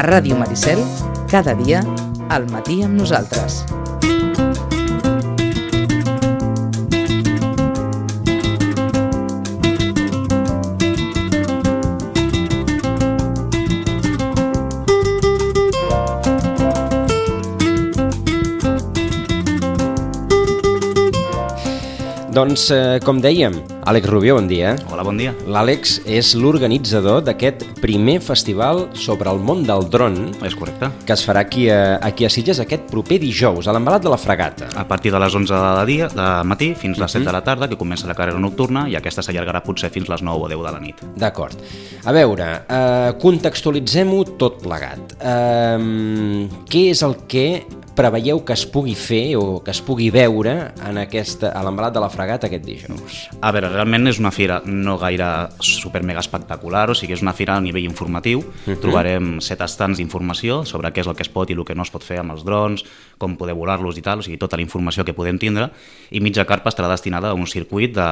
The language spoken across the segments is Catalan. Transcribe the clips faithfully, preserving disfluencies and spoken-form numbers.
A Ràdio Maricel, cada dia, al matí amb nosaltres. Doncs, eh, com dèiem, Àlex Rubió, bon dia. Hola, bon dia. L'Àlex és l'organitzador d'aquest primer festival sobre el món del dron. És correcte. Que es farà aquí a, aquí a Sitges aquest proper dijous, a l'Embalat de la Fragata. A partir de les onze de dia, de matí fins a les set de la tarda, que comença la carrera nocturna, i aquesta s'allargarà potser fins les nou o deu de la nit. D'acord. A veure, eh, contextualitzem-ho tot plegat. Eh, què és el que preveieu que es pugui fer o que es pugui veure en aquesta, a l'Embalat de la Fragata aquest dijous? A veure, realment és una fira no gaire super mega espectacular, o sigui, és una fira a nivell informatiu. Uh-huh. Trobarem set estants d'informació sobre què és el que es pot i el que no es pot fer amb els drons, com poder volar-los i tal, o sigui, tota la informació que podem tindre, i mitja carpa estarà destinada a un circuit de,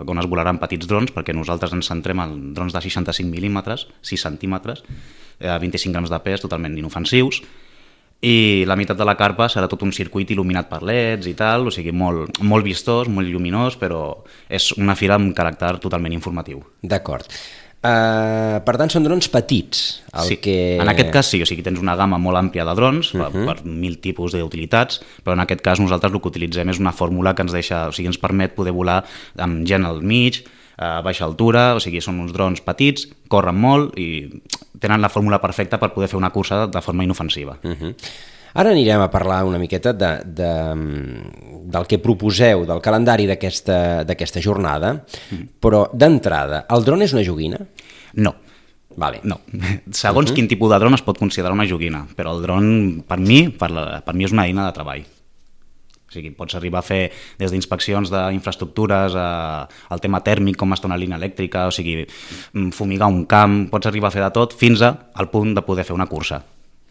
on es volaran petits drons, perquè nosaltres ens centrem en drons de seixanta-cinc mil·límetres, sis centímetres, eh, vint-i-cinc grams de pes, totalment inofensius, i la meitat de la carpa serà tot un circuit il·luminat per leds i tal, o sigui, molt, molt vistós, molt lluminós, però és una fira amb caràcter totalment informatiu. D'acord. Uh, per tant, són drons petits. El sí, que... en aquest cas sí, o sigui, tens una gamma molt àmplia de drons, uh-huh. per, per mil tipus d'utilitats, però en aquest cas nosaltres el que utilitzem és una fórmula que ens deixa, o sigui, ens permet poder volar amb gent al mig, a baixa altura, o sigui, són uns drons petits, corren molt i tenen la fórmula perfecta per poder fer una cursa de forma inofensiva. Uh-huh. Ara anirem a parlar una miqueta de, de, del que proposeu, del calendari d'aquesta d'aquesta jornada, uh-huh. però d'entrada, el dron és una joguina? No. Vale. No. Segons uh-huh. quin tipus de dron es pot considerar una joguina, però el dron, per mi, per, la, per mi és una eina de treball. O sigui, pots arribar a fer des d'inspeccions d'infraestructures, al tema tèrmic, com està una línia elèctrica, o sigui, fumigar un camp, pots arribar a fer de tot fins al punt de poder fer una cursa.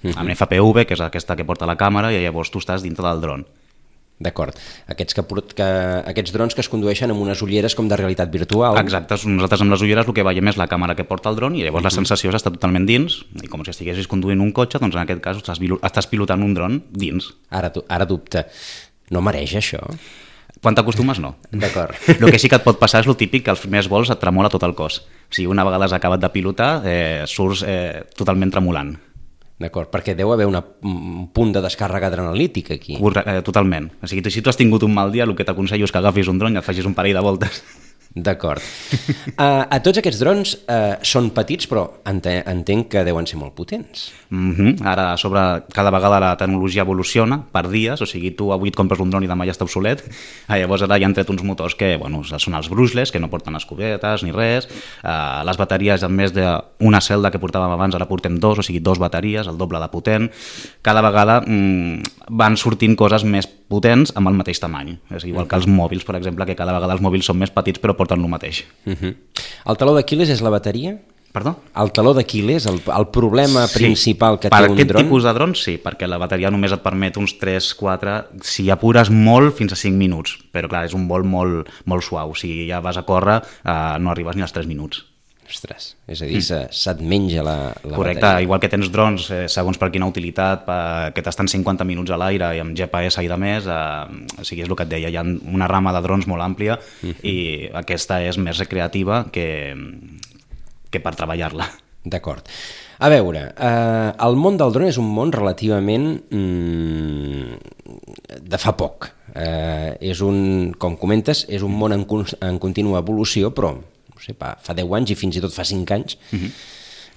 Uh-huh. Amb F P V, que és aquesta que porta la càmera, i llavors tu estàs dintre del dron. D'acord. Aquests, que, que, aquests drons que es condueixen amb unes ulleres com de realitat virtual. Exacte. Nosaltres amb les ulleres el que veiem és la càmera que porta el dron i llavors uh-huh. la sensació és estar totalment dins, i com si estiguessis conduint un cotxe, doncs en aquest cas estàs, estàs pilotant un dron dins. Ara, ara dubte. No mereix això? Quan t'acostumes, no. D'acord. El que sí que et pot passar és el típic que als primers vols et tremola tot el cos. O sigui, una vegada has acabat de pilotar, eh, surts eh, totalment tremolant. D'acord, perquè deu haver una, un punt de descàrrega adrenalítica aquí. Corre, eh, totalment. O sigui, si tu has tingut un mal dia, el que t'aconsello és que agafis un dron i et facis un parell de voltes. D'acord. Uh, a tots aquests drons uh, són petits, però ente entenc que deuen ser molt potents. Mm-hmm. Ara, a sobre, cada vegada la tecnologia evoluciona per dies, o sigui, tu avui et compres un dron i demà ja està obsolet. Uh, llavors ara ja han tret uns motors que, bueno, són els brushless, que no porten escobetes ni res. Uh, les bateries, en més d'una celda que portàvem abans, ara portem dos, o sigui, dos bateries, el doble de potent. Cada vegada mm, van sortint coses més potents amb el mateix tamany. És igual que els mòbils, per exemple, que cada vegada els mòbils són més petits però porten el mateix. Uh-huh. El taló d'Aquil·les és la bateria? Perdó? El taló d'Aquil·les, el, el problema sí, principal que té un dron? Per aquest tipus de drons sí, perquè la bateria només et permet uns tres quatre, si apures molt, fins a cinc minuts, però clar, és un vol molt, molt suau, si ja vas a córrer eh, no arribes ni als tres minuts. Ostres, és a dir, mm. se't menja la, la Correcte, bateria. Igual que tens drons, eh, segons per quina utilitat, per, que t'estan cinquanta minuts a l'aire i amb G P S i de més, eh, o sigui, és el que et deia, hi ha una rama de drons molt àmplia mm-hmm. i aquesta és més recreativa que, que per treballar-la. D'acord. A veure, eh, el món del dron és un món relativament mm, de fa poc. Eh, és un, com comentes, és un món en, en contínua evolució, però no sé, fa deu anys i fins i tot fa cinc anys, uh-huh.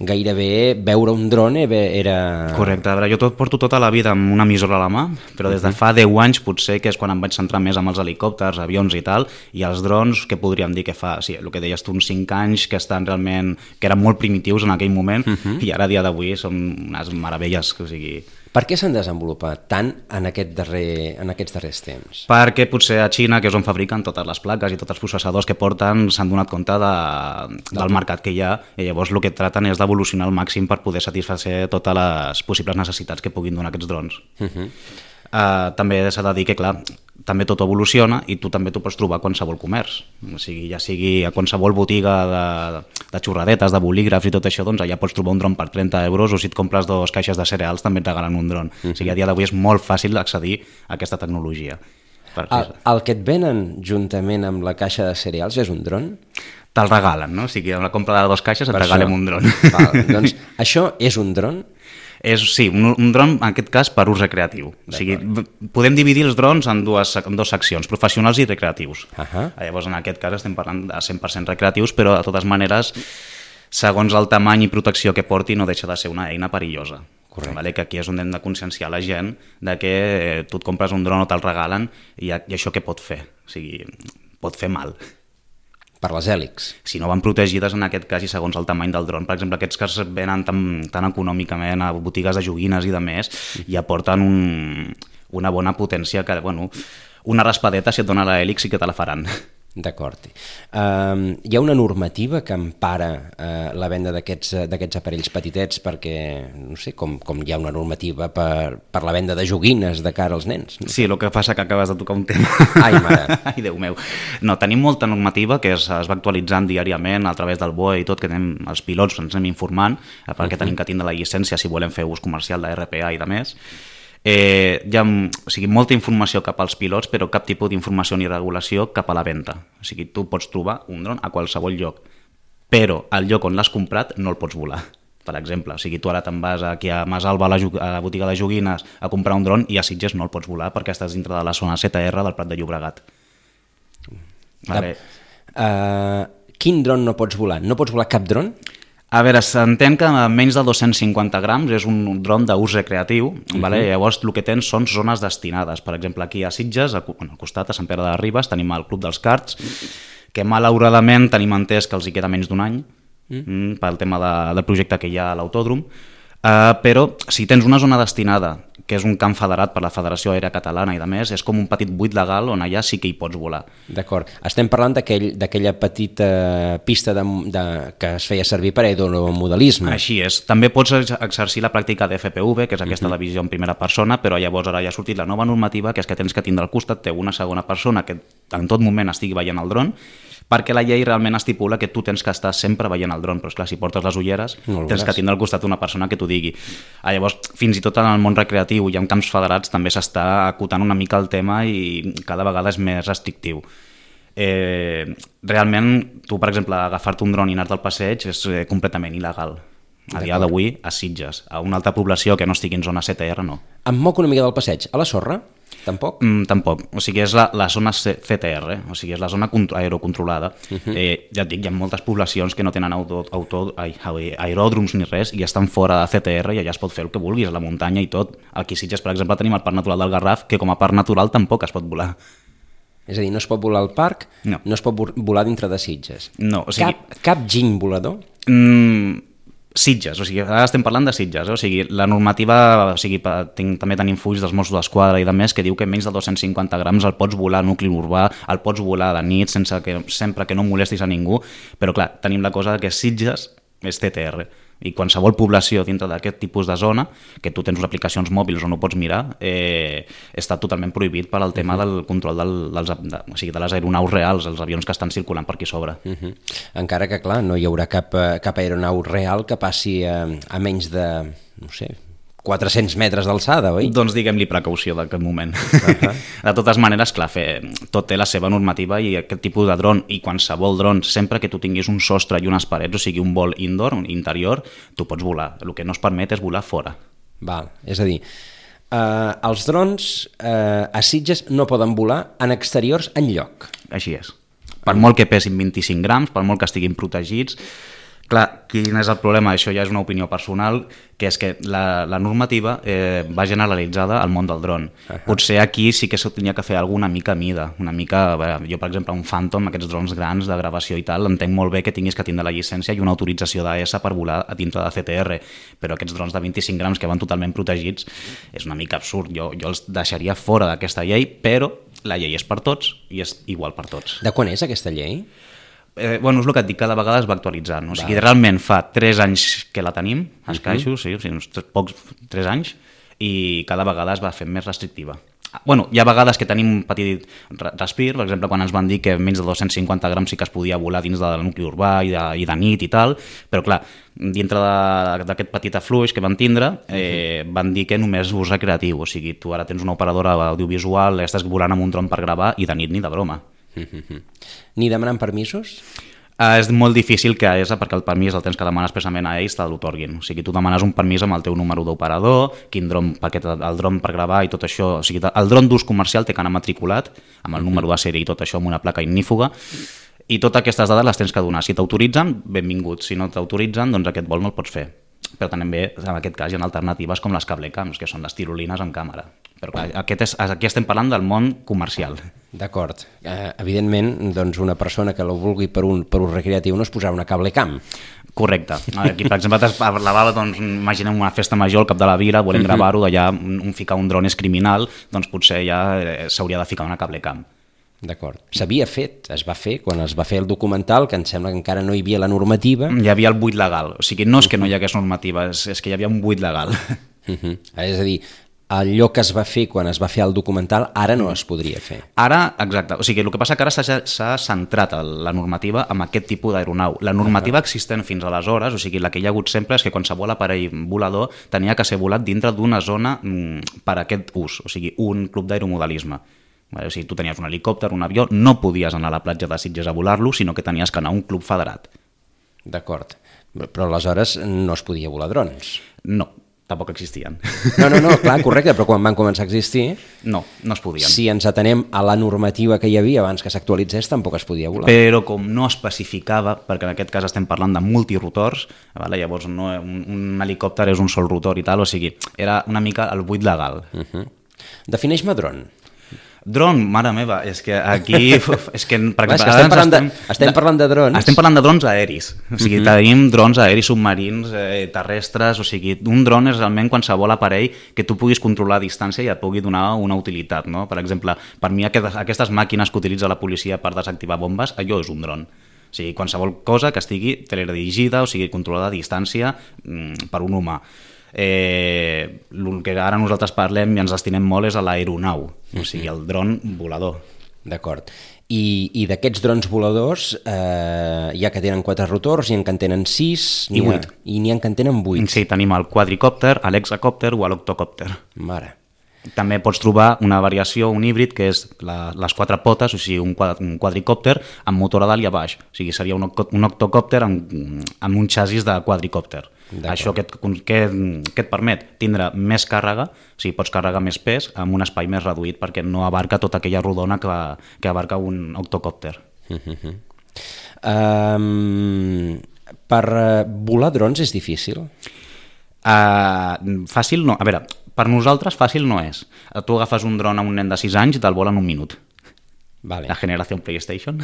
gairebé veure un dron era... Correcte, a veure, jo tot, porto tota la vida amb una emissora a la mà, però des de fa deu anys potser que és quan em vaig centrar més amb els helicòpters, avions i tal, i els drons, que podríem dir que fa, sí, el que deies tu, uns cinc anys, que estan realment, que eren molt primitius en aquell moment, uh-huh. i ara a dia d'avui són unes meravelles, o sigui... Per què s'han desenvolupat tant en, aquest darrer, en aquests darrers temps? Perquè potser a Xina, que és on fabriquen totes les plaques i tots els processadors que porten, s'han donat compte de, del mercat que hi ha, i llavors el que traten és d'evolucionar al màxim per poder satisfer totes les possibles necessitats que puguin donar aquests drons. Uh-huh. uh, també s'ha de dir que, clar, també tot evoluciona i tu també t'ho pots trobar a qualsevol comerç. O sigui, ja sigui a qualsevol botiga de, de xurradetes, de bolígrafs i tot això, doncs allà pots trobar un dron per trenta euros, o si et compres dos caixes de cereals també et regalen un dron. Uh-huh. O sigui, a dia d'avui és molt fàcil accedir a aquesta tecnologia. El, el que et venen juntament amb la caixa de cereals és un dron? Te'l regalen, no? O sigui, amb la compra de dos caixes et per regalem això. Un dron. Val, doncs això és un dron? És, sí, un, un dron, en aquest cas, per ús recreatiu. O sigui, podem dividir els drons en dues, en dues seccions, professionals i recreatius. Uh-huh. Llavors, en aquest cas, estem parlant de cent per cent recreatius, però, de totes maneres, segons el tamany i protecció que porti, no deixa de ser una eina perillosa. Correcte. Vale? Que aquí és on hem de conscienciar la gent de que tu et compres un dron o te'l regalen i, i això què pot fer? O sigui, pot fer mal. Per les hèlixs. Si no van protegides en aquest cas i segons el tamany del dron. Per exemple, aquests que es venen tan, tan econòmicament a botigues de joguines i de més, i aporten un, una bona potència que, bueno, una raspadeta si et dona l'hèlix i que te la faran. D'acord. Uh, hi ha una normativa que empara uh, la venda d'aquests d'aquests aparells petitets perquè, no sé, com, com hi ha una normativa per, per la venda de joguines de cara als nens. No? Sí, el que passa que acabes de tocar un tema. Ai, mare. Ai, Déu meu. No, tenim molta normativa que es, es va actualitzant diàriament a través del B O E i tot, que tenim, els pilots ens anem informant perquè uh-huh. tenim que tindre la llicència si volem fer ús comercial de R P A i de més. Eh, hi ha o sigui, molta informació cap als pilots, però cap tipus d'informació ni regulació cap a la venda. O sigui, tu pots trobar un dron a qualsevol lloc, però al lloc on l'has comprat no el pots volar. Per exemple, o sigui, tu ara te'n vas aquí a Masalba, a la, a la botiga de joguines, a comprar un dron i a Sitges no el pots volar perquè estàs dintre de la zona Z R del Prat de Llobregat. Vale. Uh, quin dron no pots volar? No pots volar cap dron? A veure, s'entén que menys de dos-cents cinquanta grams és un dron d'ús recreatiu, uh-huh. vale? Llavors el que tens són zones destinades. Per exemple, aquí a Sitges, al costat, a Sant Pere de Ribes, tenim el Club dels Karts, que malauradament tenim entès que els hi queda menys d'un any, uh-huh. pel tema de, del projecte que hi ha a l'autòdrom, uh, però si tens una zona destinada, que és un camp federat per la Federació Aèria Catalana i de més, és com un petit buit legal on allà sí que hi pots volar. D'acord. Estem parlant d'aquella aquell, petita pista de, de, que es feia servir per aeromodelisme. Així és. També pots exercir la pràctica d'F P V, que és aquesta uh-huh. divisió en primera persona, però llavors ara ja ha sortit la nova normativa, que és que tens que tindre al costat té una segona persona que en tot moment estigui veient el dron, perquè la llei realment estipula que tu tens que estar sempre veient el dron, però esclar, si portes les ulleres no tens que tindre al costat una persona que t'ho digui. Ah, llavors, fins i tot en el món recreatiu i en camps federats també s'està acotant una mica el tema i cada vegada és més restrictiu. Eh, realment, tu, per exemple, agafar-te un dron i anar-te al passeig és eh, completament il·legal. A dia d'avui, a Sitges. A una altra població que no estigui en zona Z R, no. Em moc una mica del passeig. A la sorra? Tampoc? Mm, tampoc. O sigui, és la, la zona Z R, o sigui, és la zona aerocontrolada. Uh-huh. Eh, ja et dic, hi ha moltes poblacions que no tenen auto, auto, ai, aeròdroms ni res i estan fora de Z R i allà es pot fer el que vulguis, a la muntanya i tot. Aquí a Sitges, per exemple, tenim el Parc Natural del Garraf, que com a parc natural tampoc es pot volar. És a dir, no es pot volar al parc, no, no es pot volar dintre de Sitges. No, o sigui... Cap, cap giny volador? Mm... Sitges, o sigui, ara estem parlant de Sitges, eh? O sigui, la normativa, o sigui, tinc, també tenim fulls dels Mossos d'Esquadra i de més que diu que menys de dos-cents cinquanta grams el pots volar a nucli urbà, el pots volar de nit sense que, sempre que no molestis a ningú, però clar, tenim la cosa que Sitges és Z R i qualsevol població dintre d'aquest tipus de zona, que tu tens unes aplicacions mòbils on no pots mirar, eh, està totalment prohibit per al tema del control del, dels, de, o sigui, de les aeronaus reals, els avions que estan circulant per aquí sobre. Uh-huh. Encara que, clar, no hi haurà cap, cap aeronau real que passi a, a menys de, no sé, quatre-cents metres d'alçada, oi? Doncs diguem-li precaució d'aquest moment. Uh-huh. De totes maneres, clar, fer, tot té la seva normativa i aquest tipus de dron i qualsevol dron, sempre que tu tinguis un sostre i unes parets, o sigui, un vol indoor, un interior, tu pots volar. El que no es permet és volar fora. Val, és a dir, eh, els drons eh, a Sitges no poden volar en exteriors enlloc. Així és. Per molt que pesin vint-i-cinc grams, per molt que estiguin protegits. Clar, quin és el problema? Això ja és una opinió personal, que és que la, la normativa eh, va generalitzada al món del dron. Uh-huh. Potser aquí sí que s'hauria que fer alguna mica a mida, una mica, bé, jo per exemple un Phantom, aquests drons grans de gravació i tal, entenc molt bé que tinguis que tindre la llicència i una autorització d'A S per volar a dintre de Z R, però aquests drons de vint-i-cinc grams que van totalment protegits és una mica absurd, jo, jo els deixaria fora d'aquesta llei, però la llei és per tots i és igual per tots. De quan és aquesta llei? Eh, bueno, és el que et dic, cada vegada es va actualitzant. O sigui, realment fa tres anys que la tenim, escaixos, uh-huh. sí, o sigui, uns tres, pocs, tres anys, i cada vegada es va fent més restrictiva. Bueno, hi ha vegades que tenim un petit respir, per exemple, quan ens van dir que menys de dos-cents cinquanta grams sí que es podia volar dins del nucli urbà i de, i de nit i tal, però clar, dintre d'aquest petit afluix que van tindre, eh, van dir que només ús recreatiu, o sigui, tu ara tens una operadora audiovisual, estàs volant amb un dron per gravar i de nit ni de broma. Ni demanant permisos? Uh, és molt difícil que és perquè el permís el tens que demanar expressament a ells te l'otorguin. O sigui, tu demanes un permís amb el teu número d'operador, quin dron, perquè el dron per gravar i tot això. O sigui, el dron d'ús comercial té que anar matriculat amb el número de sèrie i tot això amb una placa ignífuga, i totes aquestes dades les tens que donar. Si t'autoritzen, benvingut. Si no t'autoritzen, doncs aquest vol no el pots fer. Però també, en aquest cas, hi ha alternatives com les cablecams, que són les tirolines amb càmera. Però clar, aquest és, aquí estem parlant del món comercial. D'acord. Eh, evidentment, doncs una persona que la vulgui per un, per un recreatiu no es posarà una cablecam. Correcte. Aquí, per exemple, parlava, doncs, imaginem una festa major al cap de la vila, volem gravar-ho, d'allà un ficar un dron és criminal, doncs potser ja s'hauria de ficar una cablecam. D'acord. S'havia fet, es va fer, quan es va fer el documental, que em sembla que encara no hi havia la normativa. Hi havia el buit legal. O sigui, no és que no hi hagués normativa, és, és que hi havia un buit legal. Uh -huh. És a dir, allò que es va fer quan es va fer el documental ara no es podria fer. Ara, exacte. O sigui, el que passa que ara s'ha centrat la normativa en aquest tipus d'aeronau. La normativa existent fins aleshores, o sigui, la que hi ha hagut sempre, és que qualsevol aparell volador tenia que ser volat dintre d'una zona mm, per a aquest ús, o sigui, un club d'aeromodelisme. O sigui, tu tenies un helicòpter, un avió, no podies anar a la platja de Sitges a volar-lo, sinó que tenies que anar a un club federat. D'acord. Però aleshores no es podia volar drons. No, tampoc existien. No, no, no, clar, correcte, però quan van començar a existir... No, no es podien. Si ens atenem a la normativa que hi havia abans que s'actualitzés, tampoc es podia volar. Però com no especificava, perquè en aquest cas estem parlant de multirotors, vale? Llavors no, un, un helicòpter és un sol rotor i tal, o sigui, era una mica el buit legal. Uh -huh. Defineix-me dron. Dron, mare meva, és que aquí... és que, per Clar, exemple, és que estem, parlant de, estem de, parlant de drons. Estem parlant de drons aeris. O sigui, uh -huh. tenim drons aeris submarins, eh, terrestres, o sigui, un dron és realment qualsevol aparell que tu puguis controlar a distància i et pugui donar una utilitat, no? Per exemple, per mi aquestes, aquestes màquines que utilitza la policia per desactivar bombes, allò és un dron. O sigui, qualsevol cosa que estigui teledirigida, o sigui, controlada a distància mm, per un humà. Eh, el que ara nosaltres parlem i ens destinem molt és a l'aeronau, o sigui, el dron volador. D'acord. I, i d'aquests drons voladors eh, hi ha que tenen quatre rotors, hi ha que en tenen sis i vuit. I n'hi ha que en tenen vuit. Sí, tenim el quadricòpter, l'hexacòpter o l'octocòpter. Mare. També pots trobar una variació, un híbrid, que és la, les quatre potes, o sigui, un, quad, un quadricòpter amb motor a dalt i a baix. O sigui, seria un, un octocòpter amb, amb un xassís de quadricòpter. Això que et, que, que et permet tindre més càrrega, o sigui, pots carregar més pes amb un espai més reduït perquè no abarca tota aquella rodona que, que abarca un octocòpter. Uh-huh. um, per volar drons és difícil? Uh, fàcil no. A veure, per nosaltres fàcil no és. Tu agafes un dron a un nen de sis anys i te'l vola en un minut. Vale. La generació PlayStation.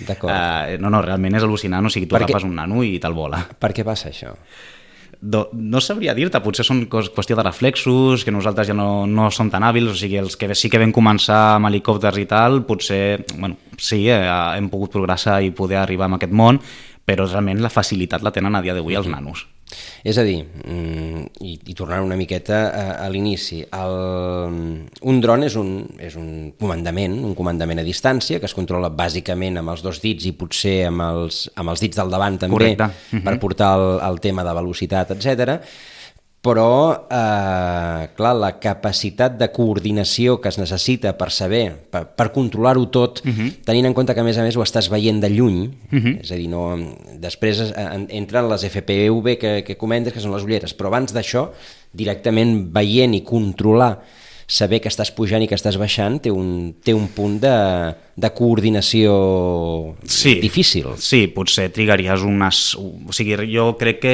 D'acord. Uh, no, no, realment és al·lucinant. O sigui, tu agafes un nano i te'l vola. Per què passa això? Do, no sabria dir-te, potser són qüestió de reflexos, que nosaltres ja no, no som tan hàbils, o sigui, els que sí que vam començar amb helicòpters i tal, potser, bueno, sí, eh, hem pogut progressar i poder arribar a aquest món, però realment la facilitat la tenen a dia d'avui els nanos. És a dir, i, i tornant una miqueta a, a l'inici, el, un dron és un, és un comandament, un comandament a distància que es controla bàsicament amb els dos dits i potser amb els, amb els dits del davant també. Correcte. Uh-huh. Per portar el, el tema de velocitat, etcètera. Però, eh, clar, la capacitat de coordinació que es necessita per saber, per, per controlar-ho tot, uh-huh. tenint en compte que a més a més ho estàs veient de lluny, uh-huh. és a dir, no, després entren les F P V que, que comentes, que són les ulleres, però abans d'això, directament veient i controlar, saber que estàs pujant i que estàs baixant, té un, té un punt de, de coordinació sí, difícil. Sí, potser trigaries unes... O sigui, jo crec que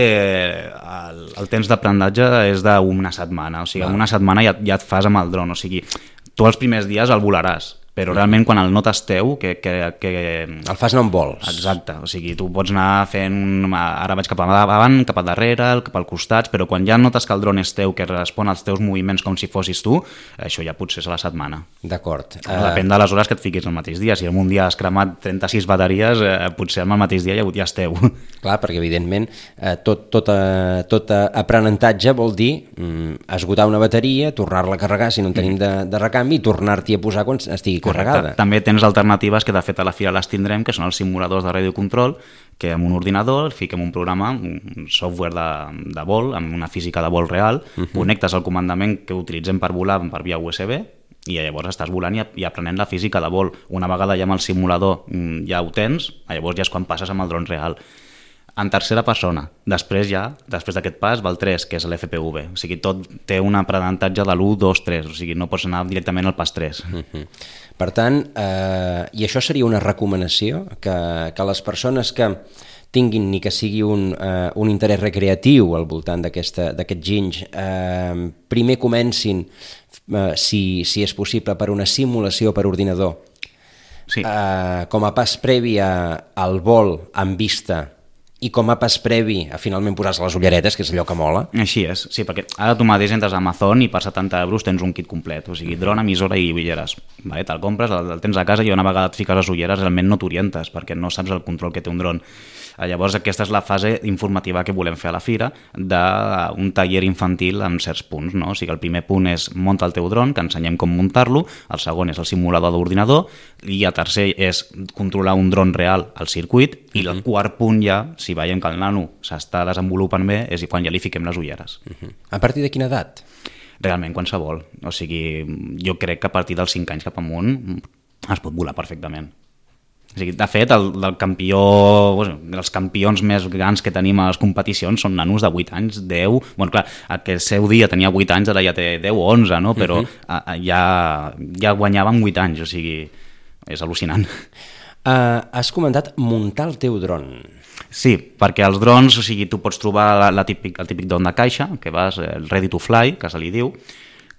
el, el temps d'aprenentatge és d'una setmana. O sigui, en una setmana ja, ja et fas amb el dron. O sigui, tu els primers dies el volaràs, però realment quan el notes teu, que... que, que... El fas no en vols. Exacte, o sigui, tu pots anar fent... Ara vaig cap davant, cap a darrere, cap al costat, però quan ja notes que el dron és teu, que respon als teus moviments com si fossis tu, això ja potser és a la setmana. D'acord. Depèn de les hores que et fiquis el mateix dia. Si en un dia has cremat trenta-sis bateries, eh, potser el mateix dia ja, ja és teu. Clar, perquè evidentment eh, tot, tot, eh, tot aprenentatge vol dir mm, esgotar una bateria, tornar-la a carregar si no en tenim de, de recanvi i tornar-t'hi a posar quan estigui carregada. També tens alternatives que de fet a la fira les tindrem, que són els simuladors de radiocontrol, que amb un ordinador fiquem un programa, un software de, de vol, amb una física de vol real, uh -huh. connectes el comandament que utilitzem per volar per via U S B i llavors estàs volant i, i aprenent la física de vol. Una vegada ja amb el simulador ja ho tens, llavors ja és quan passes amb el dron real. En tercera persona. Després ja, després d'aquest pas, va el tres, que és l'F P V. O sigui, tot té un aprenentatge de l'u, dos, tres. O sigui, no pots anar directament al pas tres. Uh-huh. Per tant, eh, i això seria una recomanació, que, que les persones que tinguin ni que sigui un, eh, un interès recreatiu al voltant d'aquest ginys, eh, primer comencin, eh, si, si és possible, per una simulació per ordinador, sí. eh, com a pas previ a, al vol en vista, i com a pas previ a finalment posar-se les ulleretes, que és allò que mola. Així és, sí, perquè ara tu mateix entres a Amazon i per setanta euros tens un kit complet, o sigui, dron, emissora i ulleres. Vale, te'l compres, el, el tens a casa i una vegada et fiques les ulleres realment no t'orientes, perquè no saps el control que té un dron. Llavors aquesta és la fase informativa que volem fer a la fira, d'un taller infantil en certs punts, no? O sigui, el primer punt és munta el teu dron, que ensenyem com muntar-lo, el segon és el simulador d'ordinador, i el tercer és controlar un dron real al circuit, i el quart punt ja, si veiem que el nano s'està desenvolupant bé, és quan ja li fiquem les ulleres. Uh-huh. A partir de quina edat? Realment qualsevol. O sigui, jo crec que a partir dels cinc anys cap amunt es pot volar perfectament. O sigui, de fet, el, el campió, bueno, els campions més grans que tenim a les competicions són nanos de vuit anys, deu... Bueno, clar, aquell seu dia tenia vuit anys, ara ja té deu o onze, no? Però uh-huh. ja, ja guanyava amb vuit anys, o sigui, és al·lucinant. Uh, has comentat muntar el teu dron. Sí, perquè els drons, o sigui, tu pots trobar la, la típic, el típic dron de caixa, que vas, el ready to fly, que se li diu,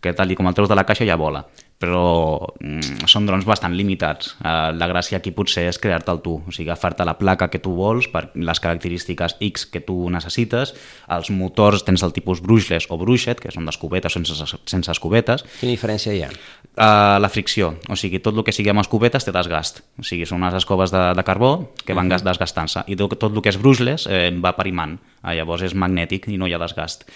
que tal com el treus de la caixa ja vola. Però mm, són drons bastant limitats. Uh, la gràcia aquí potser és crear-te'l tu, o sigui, agafar-te la placa que tu vols per les característiques X que tu necessites. Els motors tens el tipus brushless o brushed, que són d'escobetes o sense, sense escobetes. Quina diferència hi ha? Uh, la fricció, o sigui, tot el que sigui amb escobetes té desgast. O sigui, són unes escoves de, de carbó que van uh-huh. desgastant-se. I tot, tot el que és brushless eh, va per imant. Uh, llavors és magnètic i no hi ha desgast.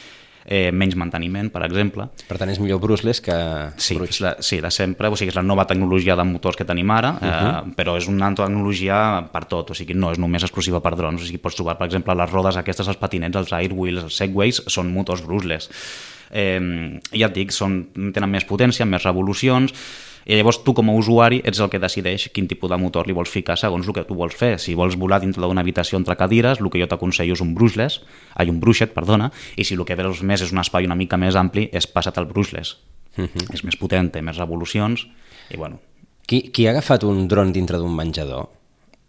Eh, menys manteniment, per exemple. Per tant, és millor brushless que... Sí, la, sí, de sempre, o sigui, és la nova tecnologia de motors que tenim ara, eh, uh-huh. però és una tecnologia per tot, o sigui, no és només exclusiva per drons, o sigui, pots trobar, per exemple, les rodes aquestes, els patinets, els airwheels, els segways, són motors brushless. Eh, ja et dic, són, tenen més potència, més revolucions, i llavors tu com a usuari ets el que decideix quin tipus de motor li vols ficar segons el que tu vols fer. Si vols volar dintre d'una habitació entre cadires, el que jo t'aconsello és un brushless, ai, un brushed, perdona, i si el que vols més és un espai una mica més ampli, és passa't al brushless. Uh-huh. És més potent, té més revolucions, i bueno... Qui, qui ha agafat un dron dintre d'un menjador?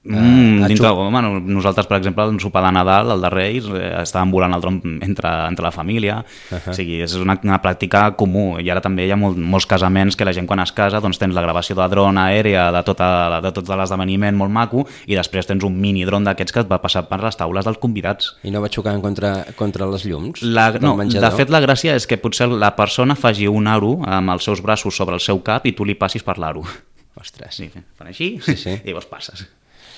Mm, uh, dintre, bueno, nosaltres, per exemple, el sopar de Nadal, el de Reis, eh, estàvem volant el dron entre, entre la família. Uh-huh. O sigui, és una, una pràctica comú. I ara també hi ha molt, molts casaments que la gent quan es casa doncs tens la gravació de dron aèrea de, tota, de tot l'esdeveniment molt maco i després tens un mini dron d'aquests que et va passar per les taules dels convidats. I no va xocar contra, contra les llums? La, no, de fet la gràcia és que potser la persona faci un aro amb els seus braços sobre el seu cap i tu li passis per l'aro. Ostres. Sí, fan així sí, sí. i llavors passes.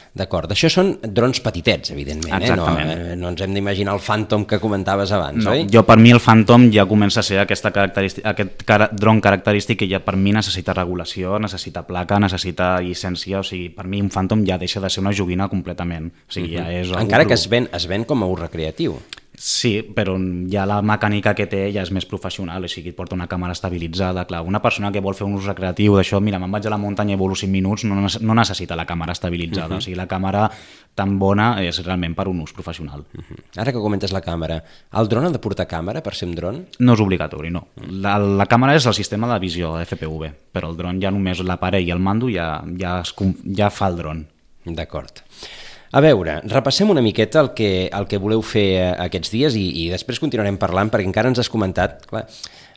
D'acord, això són drons petitets, evidentment, exactament. Eh? No, no ens hem d'imaginar el Phantom que comentaves abans, no, oi? Jo, per mi, el Phantom ja comença a ser aquesta característica, aquest cara, dron característic que ja per mi necessita regulació, necessita placa, necessita llicència, o sigui, per mi un Phantom ja deixa de ser una joguina completament. O sigui, uh-huh. ja és encara que es ven, es ven com a ús recreatiu. Sí, però ja la mecànica que té ja és més professional, o sigui, et porta una càmera estabilitzada. Clar, una persona que vol fer un ús recreatiu d'això, mira, me'n vaig a la muntanya i volo cinc minuts, no, no necessita la càmera estabilitzada. Uh-huh. O sigui, la càmera tan bona és realment per un ús professional. Uh-huh. Ara que comentes la càmera, el dron ha de portar càmera per ser un dron? No és obligatori, no. La, la càmera és el sistema de visió F P V, però el dron ja només l'aparell i el mando ja, ja, es, ja fa el dron. D'acord. A veure, repassem una miqueta el que, el que voleu fer aquests dies i, i després continuarem parlant, perquè encara ens has comentat, clar,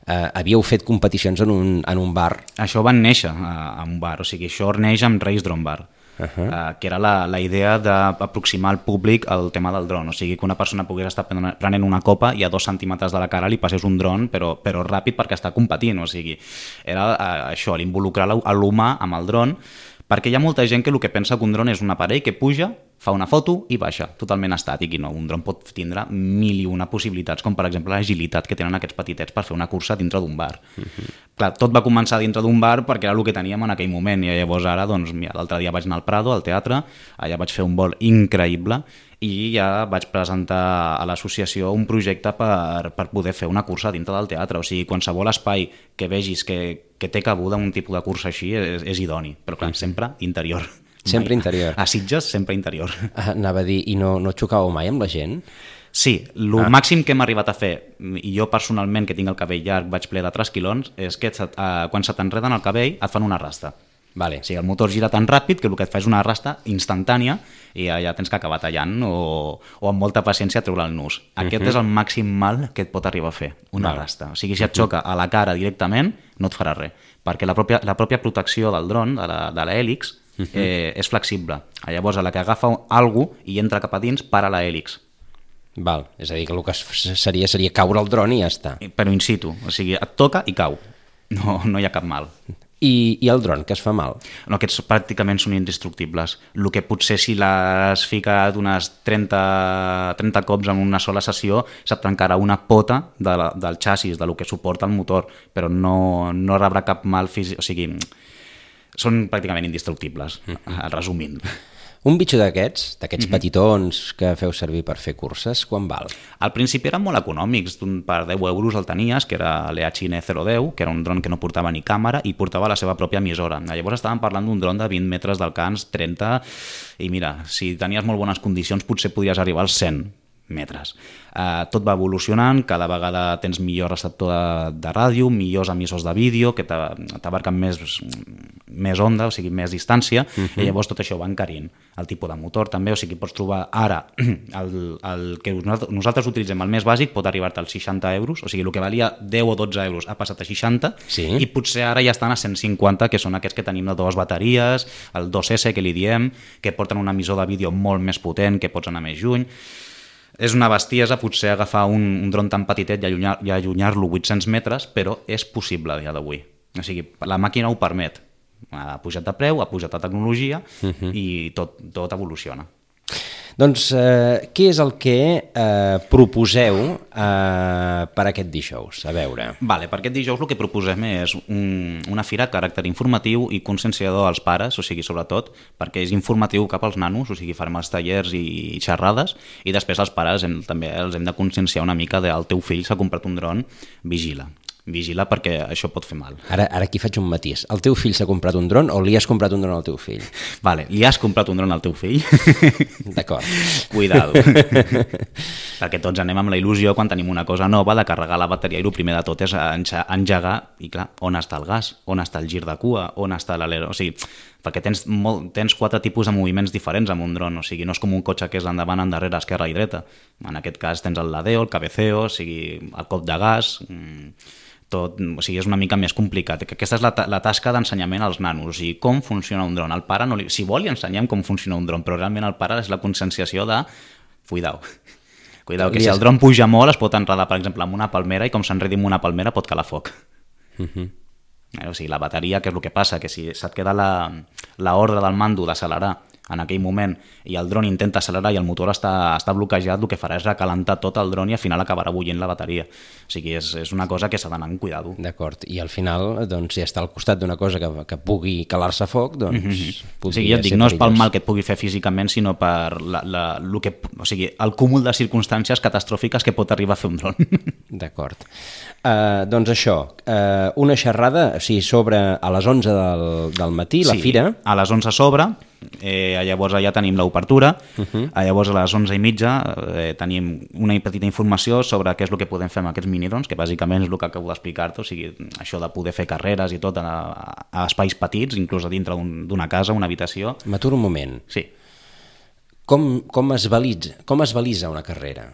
eh, havíeu fet competicions en un, en un bar. Això van néixer a, a un bar, o sigui, això neix amb Race Drone Bar. Uh -huh. uh, que era la, la idea d'aproximar al públic el tema del dron, o sigui que una persona pogués estar prenent una copa i a dos centímetres de la cara li passés un dron, però, però ràpid perquè està competint, o sigui, era uh, això, l'involucrar l'humà amb el dron, perquè hi ha molta gent que el que pensa que un dron és un aparell que puja, fa una foto i baixa, totalment estàtic, i no, un dron pot tindre mil i una possibilitats, com per exemple l'agilitat que tenen aquests petitets per fer una cursa dintre d'un bar. Uh-huh. Clar, tot va començar dintre d'un bar perquè era el que teníem en aquell moment, i llavors ara, doncs, mira, l'altre dia vaig anar al Prado, al teatre, allà vaig fer un vol increïble, i ja vaig presentar a l'associació un projecte per, per poder fer una cursa dintre del teatre, o sigui, qualsevol espai que vegis que, que té cabuda un tipus de cursa així és, és idoni, però clar, sempre interior. Sempre mai. Interior. A Sitges, sempre interior. Anava a dir, i no, no xocàveu mai amb la gent? Sí, el ah. màxim que hem arribat a fer, i jo personalment, que tinc el cabell llarg, vaig ple de trasquilons, és que se, uh, quan se t'enreden el cabell et fan una rasta. Vale. O sigui, el motor gira tan ràpid que el que et fa és una rasta instantània i ja, ja tens que acabar tallant o, o amb molta paciència treure el nus. Aquest uh -huh. és el màxim mal que et pot arribar a fer, una vale. rasta. O sigui, si et xoca a la cara directament, no et farà res, perquè la pròpia, la pròpia protecció del dron, de la, de l'hèlix, uh -huh. eh, és flexible. Llavors, a la que agafa alguna cosa i entra cap a dins, para l'hèlix. Val, és a dir, que el que seria seria caure el dron i ja està. Però in situ, o sigui, et toca i cau. No, no hi ha cap mal. I, i el dron, que es fa mal? No, aquests pràcticament són indestructibles. El que potser si l'has ficat unes trenta, trenta cops en una sola sessió se't trencarà una pota de la, del xassis, de lo que suporta el motor, però no, no rebrà cap mal físic, o sigui, són pràcticament indestructibles, mm-hmm. resumint. Un bitxo d'aquests, d'aquests mm-hmm. petitons que feu servir per fer curses, quan val? Al principi eren molt econòmics, per deu euros el tenies, que era l'E H N zero deu, que era un dron que no portava ni càmera i portava la seva pròpia emissora. Llavors estàvem parlant d'un dron de vint metres d'alcance, trenta, i mira, si tenies molt bones condicions potser podries arribar als cent metres. Uh, tot va evolucionant, cada vegada tens millor receptor de, de ràdio, millors emissors de vídeo que t'abarquen més, més onda, o sigui, més distància, uh-huh. i llavors tot això va encarint. El tipus de motor també, o sigui, pots trobar ara el, el que nosaltres utilitzem, el més bàsic, pot arribar-te als seixanta euros, o sigui, el que valia deu o dotze euros ha passat a seixanta, sí. i potser ara ja estan a cent cinquanta, que són aquests que tenim de dues bateries, el dos esse que li diem, que porten un emissor de vídeo molt més potent, que pots anar més lluny. És una bestiesa potser agafar un, un dron tan petitet i allunyar, i allunyar-lo vuit-cents metres, però és possible a dia d'avui. O sigui, la màquina ho permet. Ha pujat de preu, ha pujat de tecnologia uh-huh. i tot, tot evoluciona. Doncs eh, què és el que eh, proposeu eh, per aquest dijous? A veure. Vale, per aquest dijous el que proposem és un, una fira de caràcter informatiu i conscienciador als pares, o sigui, sobretot, perquè és informatiu cap als nanos, o sigui, farem els tallers i xerrades, i després els pares hem, també els hem de conscienciar una mica del teu fill s'ha comprat un dron, vigila. Vigila perquè això pot fer mal. Ara, ara aquí faig un matís. El teu fill s'ha comprat un dron o li has comprat un dron al teu fill? Vale, li has comprat un dron al teu fill? D'acord. Cuidado. Perquè tots anem amb la il·lusió quan tenim una cosa nova de carregar la bateria i el primer de tot és engegar i clar, on està el gas? On està el gir de cua? On està l'alero? O sigui, perquè tens, molt, tens quatre tipus de moviments diferents amb un dron, o sigui, no és com un cotxe que és endavant, endarrere, esquerra i dreta. En aquest cas tens el ladeo, el cabeceo, o sigui, el cop de gas, tot, o sigui, és una mica més complicat. Aquesta és la, la tasca d'ensenyament als nanos, o sigui, com funciona un dron. El pare, no li, si vol, li ensenyem com funciona un dron, però realment el pare és la conscienciació de cuidao. Cuidao, que si el dron puja molt es pot enredar, per exemple, amb una palmera i com s'enredi amb una palmera pot calar foc. Uh-huh. O sigui, la bateria, què és el que passa? Que si se't queda la, la ordre del mando d'accelerar en aquell moment i el dron intenta accelerar i el motor està, està bloquejat, el que farà és recalentar tot el dron i al final acabarà bullint la bateria. O sigui, és, és una cosa que s'ha d'anar amb cuidado. D'acord, i al final, doncs, si està al costat d'una cosa que, que pugui calar-se foc, doncs... Mm-hmm. O sigui, jo et dic, no és pel mal que et pugui fer físicament, sinó per la, la, lo que, o sigui, el cúmul de circumstàncies catastròfiques que pot arribar a fer un dron. D'acord. Uh, doncs això, uh, una xerrada, o sigui, sobre a les onze del, del matí, la sí, fira. A les onze sobre, eh, llavors allà tenim l'obertura, uh-huh. llavors a les onze i mitja eh, tenim una petita informació sobre què és el que podem fer amb aquests minidrons, que bàsicament és el que acabo d'explicar-te, o sigui, això de poder fer carreres i tot a, a espais petits, inclús a dintre d'una un, casa, una habitació. M'aturo un moment. Sí. Com, com, es valisa, com es valisa una carrera?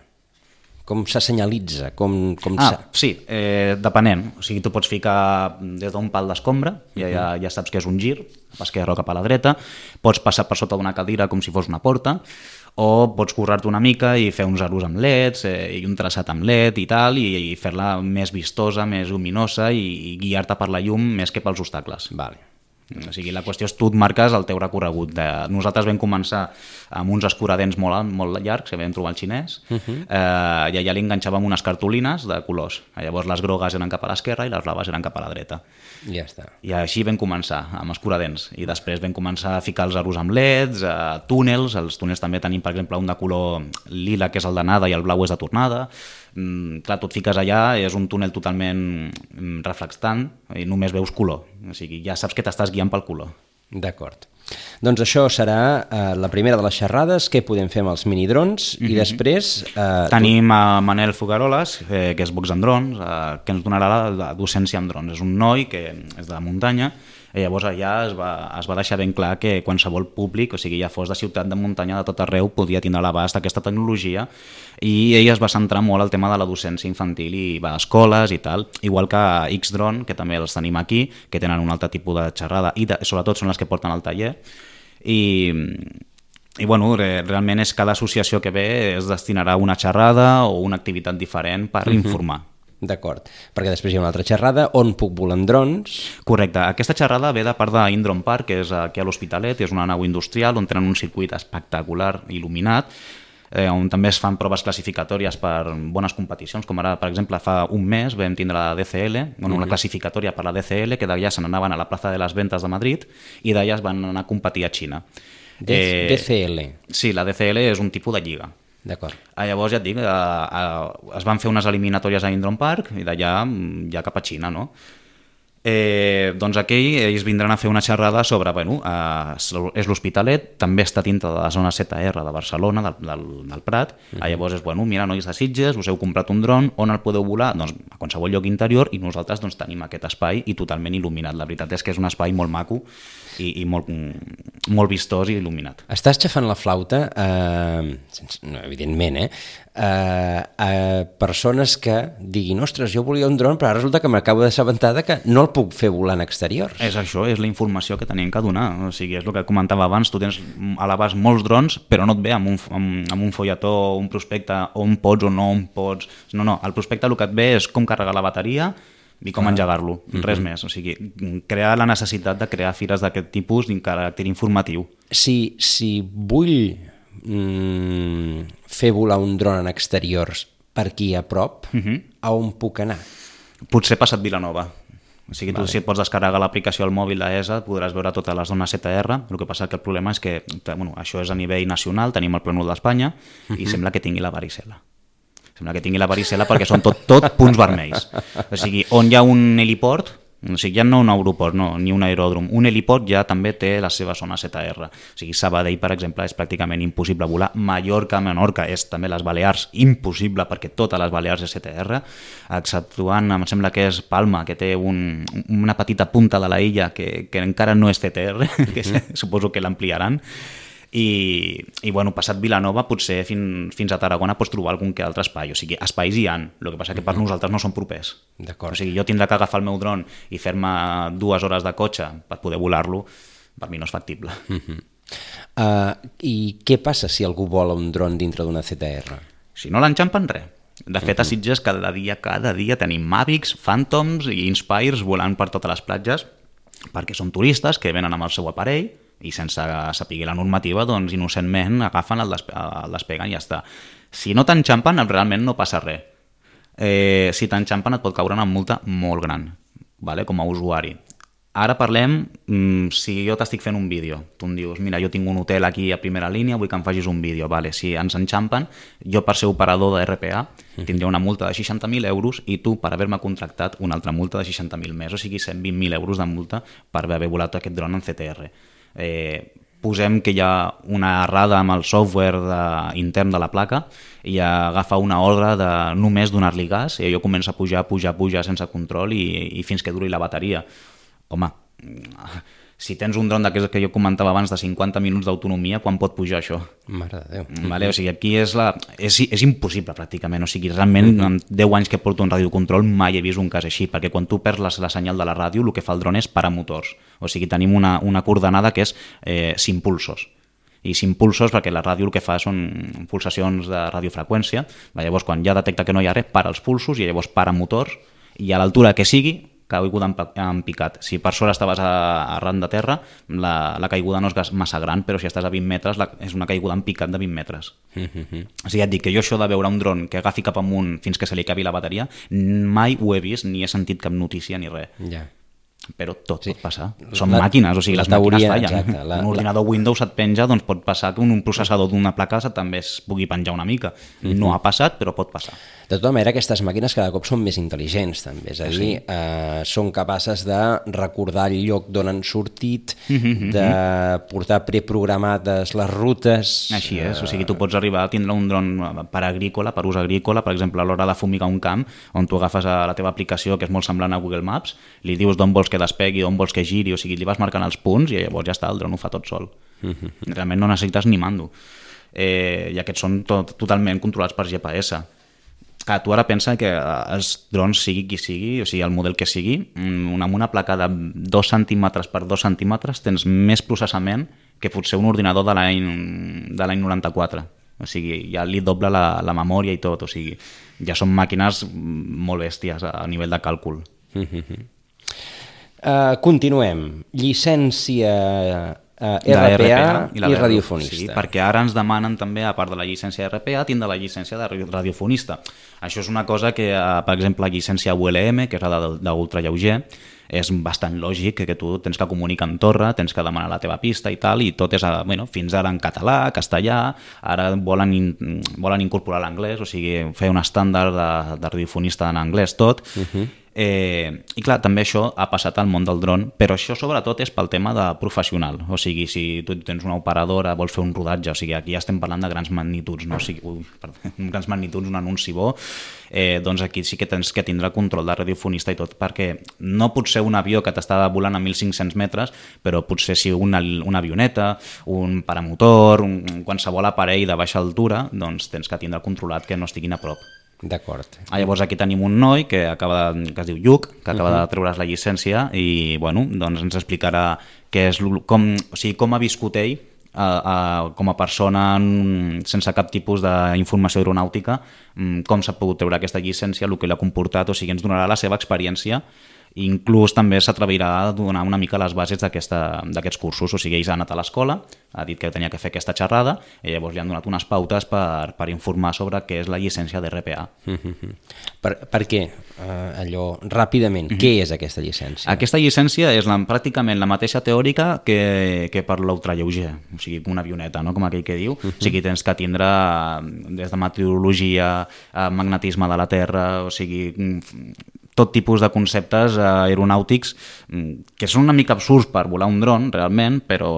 Com se senyalitza? Com, com ah, sa... sí, eh, depenent. O sigui, tu pots ficar des d'un pal d'escombra, ja, ja, ja saps que és un gir, a l'esquerra o cap a la dreta, pots passar per sota d'una cadira com si fos una porta, o pots currar-te una mica i fer uns aros amb leds eh, i un traçat amb led i tal, i, i fer-la més vistosa, més luminosa i, i guiar-te per la llum més que pels obstacles. Vale. O sigui, la qüestió és tu et marques el teu recorregut. De... Nosaltres vam començar amb uns escuradents molt, molt llargs, que vam trobar al xinès, uh -huh. eh, i allà li enganxàvem unes cartolines de colors. Llavors les grogues eren cap a l'esquerra i les blaves eren cap a la dreta. Ja està. I així vam començar, amb escuradents. I després vam començar a ficar els aros amb leds, eh, túnels. Els túnels també tenim, per exemple, un de color lila, que és el d'anada, i el blau és de tornada. Mm, clar, tu et fiques allà, és un túnel totalment reflectant i només veus color. O sigui, ja saps que t'estàs guiant pel color. D'acord. Doncs això serà eh, la primera de les xerrades, què podem fer amb els minidrons, mm-hmm. i després... Eh, Tenim a Manel Fogaroles, eh, que és Box en Drons, eh, que ens donarà la, la docència en drons. És un noi que és de la muntanya, i llavors allà es va, es va deixar ben clar que qualsevol públic, o sigui, ja fos de ciutat, de muntanya, de tot arreu, podia tindre a l'abast aquesta tecnologia, i ell es va centrar molt al tema de la docència infantil i va a escoles i tal, igual que X-Drone, que també els tenim aquí, que tenen un altre tipus de xerrada, i de, sobretot són les que porten al taller, i... I bueno, realment és cada associació que ve es destinarà a una xerrada o una activitat diferent per uh-huh. informar. D'acord, perquè després hi ha una altra xerrada, on puc volar en drons? Correcte, aquesta xerrada ve de part d'Indron Park, que és aquí a l'Hospitalet, és una nau industrial on tenen un circuit espectacular il·luminat, eh, on també es fan proves classificatòries per bones competicions, com ara, per exemple, fa un mes vam tindre la D C L, bueno, una uh-huh. classificatòria per la D C L, que d'allà se n'anaven a la plaça de les Ventas de Madrid i d'allà es van anar a competir a Xina. Eh, D C L? Sí, la D C L és un tipus de lliga. D'acord. Ah, llavors, ja et dic, eh, eh, es van fer unes eliminatòries a Indron Park i d'allà ja cap a Xina, no? Eh, doncs aquí ells vindran a fer una xerrada sobre, bueno, eh, és l'Hospitalet, també està dintre de la zona Z R de Barcelona, del, del, del Prat, uh-huh. ah, llavors és, bueno, mira, nois de Sitges, us heu comprat un dron, on el podeu volar? Doncs a qualsevol lloc interior, i nosaltres doncs, tenim aquest espai i totalment il·luminat. La veritat és que és un espai molt maco i, i molt, molt vistós i il·luminat. Estàs xafant la flauta, eh, sense, no, evidentment, eh, eh, a persones que diguin, ostres, jo volia un dron, però ara resulta que m'acabo d'assabentar que no el puc fer volar en exteriors. És això, és la informació que tenim que donar. O sigui, és el que comentava abans, tu tens a l'abast molts drons, però no et ve amb un, amb, amb un folletó, un prospecte, on pots o no on pots. No, no, el prospecte el que et ve és com carregar la bateria i com ah. engegar-lo, res uh-huh. més. O sigui, crear la necessitat de crear fires d'aquest tipus amb caràcter informatiu. Si, si vull mm, fer volar un dron en exteriors per aquí a prop, uh-huh. a on puc anar? Potser passat Vilanova. O sigui, tu vale. Si et pots descarregar l'aplicació al mòbil d'E S A podràs veure totes les zones Z R. El que passa que el problema és que bueno, això és a nivell nacional, tenim el plànol d'Espanya uh-huh. i sembla que tingui la varicel·la. Sembla que tingui la varicel·la perquè són tot, tot punts vermells. O sigui, on hi ha un heliport, o sigui, ja no un aeroport, no, ni un aeròdrom, un heliport ja també té la seva zona Z R. O sigui, Sabadell, per exemple, és pràcticament impossible volar. Mallorca, Menorca, és també les Balears, impossible perquè totes les Balears és Z R, exceptuant, em sembla que és Palma, que té un, una petita punta de la illa que, que encara no és Z R, que mm. suposo que l'ampliaran. I, i bueno, passat Vilanova potser fins, fins a Tarragona pots trobar algun que altre espai, o sigui, espais hi ha, el que passa que per nosaltres no són propers. D'acord. O sigui, jo tindré que agafar el meu dron i fer-me dues hores de cotxe per poder volar-lo, per mi no és factible. Uh-huh. uh, I què passa si algú vola un dron dintre d'una Z R? Si no l'enxampen, res. De fet, a Sitges cada dia, cada dia tenim Mavics, Phantoms i Inspires volant per totes les platges, perquè són turistes que venen amb el seu aparell i sense saber la normativa, doncs innocentment agafen, el, despe el despeguen i ja està. Si no t'enxampen, realment no passa res. Eh, si t'enxampen et pot caure una multa molt gran, vale? Com a usuari. Ara parlem, mmm, si jo t'estic fent un vídeo, tu em dius, mira, jo tinc un hotel aquí a primera línia, vull que em facis un vídeo, vale? Si ens enxampen, jo per ser operador de R P A tindria una multa de seixanta mil euros i tu per haver-me contractat una altra multa de seixanta mil més, o sigui cent vint mil euros de multa per haver volat aquest dron en Z T R. Eh, posem que hi ha una errada amb el software de, intern de la placa i agafa una ordre de només donar-li gas i allò comença a pujar, pujar, pujar sense control i, i fins que duri la bateria. Home, Si tens un dron d'aquests que jo comentava abans de cinquanta minuts d'autonomia, quan pot pujar això? Mare de Déu. Vale? O sigui, aquí és, la... és, és impossible pràcticament, o sigui, realment mm-hmm. en deu anys que porto en radiocontrol mai he vist un cas així, perquè quan tu perds la, la senyal de la ràdio el que fa el dron és parar motors, o sigui, tenim una, una coordenada que és eh, cinc pulsos, i cinc pulsos perquè la ràdio el que fa són pulsacions de radiofreqüència, llavors quan ja detecta que no hi ha res, para els pulsos i llavors para motors, i a l'altura que sigui caiguda en picat. Si per sort estaves a, arran de terra, la, la caiguda no és massa gran, però si estàs a vint metres la, és una caiguda en picat de vint metres. Mm-hmm. O sigui, ja et dic que jo això de veure un dron que agafi cap amunt fins que se li acabi la bateria, mai ho he vist ni he sentit cap notícia ni res. Ja. Yeah. Però tot sí. pot passar. Són la, màquines, o sigui, les teoria, màquines fallen. Exacte, la, un ordinador la... Windows et penja, doncs pot passar que un, un processador d'una placa també es pugui penjar una mica. Mm-hmm. No ha passat, però pot passar. De tota manera, aquestes màquines cada cop són més intel·ligents, també. És a dir, sí. eh, són capaces de recordar el lloc d'on han sortit, mm-hmm. de portar preprogramades les rutes... Així és, eh... o sigui, tu pots arribar a tindre un dron per agrícola, per ús agrícola, per exemple, a l'hora de fumigar un camp, on tu agafes a la teva aplicació, que és molt semblant a Google Maps, li dius d'on vols que despegui, on vols que giri, o sigui, li vas marcant els punts i llavors ja està, el dron ho fa tot sol. Mm-hmm. Realment no necessites ni mando. Eh, I aquests són tot, totalment controlats per G P S. Clar, tu ara pensa que els drons, sigui qui sigui, o sigui, el model que sigui, amb una placa de dos centímetres per dos centímetres tens més processament que potser un ordinador de l'any de l'any noranta-quatre. O sigui, ja li dobla la, la memòria i tot, o sigui, ja són màquines molt bèsties a nivell de càlcul. Mm-hmm. Uh, continuem. Llicència uh, R P A i, i radiofonista. Sí, perquè ara ens demanen també, a part de la llicència R P A, tindre la llicència de radiofonista. Això és una cosa que, uh, per exemple, la llicència U L M, que és la d'ultralleuger, és bastant lògic que tu tens que comunicar en torre, tens que demanar la teva pista i tal, i tot és, bueno, fins ara en català, castellà, ara volen, in, volen incorporar l'anglès, o sigui, fer un estàndard de, de radiofonista en anglès tot, uh-huh. Eh, i clar, també això ha passat al món del dron, però això sobretot és pel tema de professional, o sigui, si tu tens una operadora, vols fer un rodatge, o sigui, aquí ja estem parlant de grans magnituds, no? O sigui, ui, perdó, grans magnituds, un anunci bo, eh, doncs aquí sí que tens que tindre control de radiofonista i tot, perquè no pot ser un avió que t'està volant a mil cinc-cents metres, però potser si una, una avioneta, un paramotor, un, qualsevol aparell de baixa altura, doncs tens que tindre controlat que no estiguin a prop. D'acord. Ah, llavors aquí tenim un noi que, acaba de, que es diu Lluc, que acaba uh-huh. de treure's la llicència i bueno, doncs ens explicarà què és, com, o sigui, com ha viscut ell a, a, com a persona sense cap tipus d'informació aeronàutica, com s'ha pogut treure aquesta llicència, el que l'ha comportat, o sigui, ens donarà la seva experiència. Inclús també s'atrevirà a donar una mica les bases d'aquests cursos, o sigui, ells ha anat a l'escola, ha dit que tenia que fer aquesta xerrada i llavors li han donat unes pautes per, per informar sobre què és la llicència d'R P A. Mm-hmm. Per, per què? Uh, allò, ràpidament, mm-hmm. què és aquesta llicència? Aquesta llicència és la, pràcticament la mateixa teòrica que, que per l'ultralleuger, o sigui, una avioneta, no? Com aquell que diu, mm-hmm. o sigui, tens que tindre des de meteorologia, magnetisme de la Terra, o sigui, tot tipus de conceptes aeronàutics que són una mica absurds per volar un dron, realment, però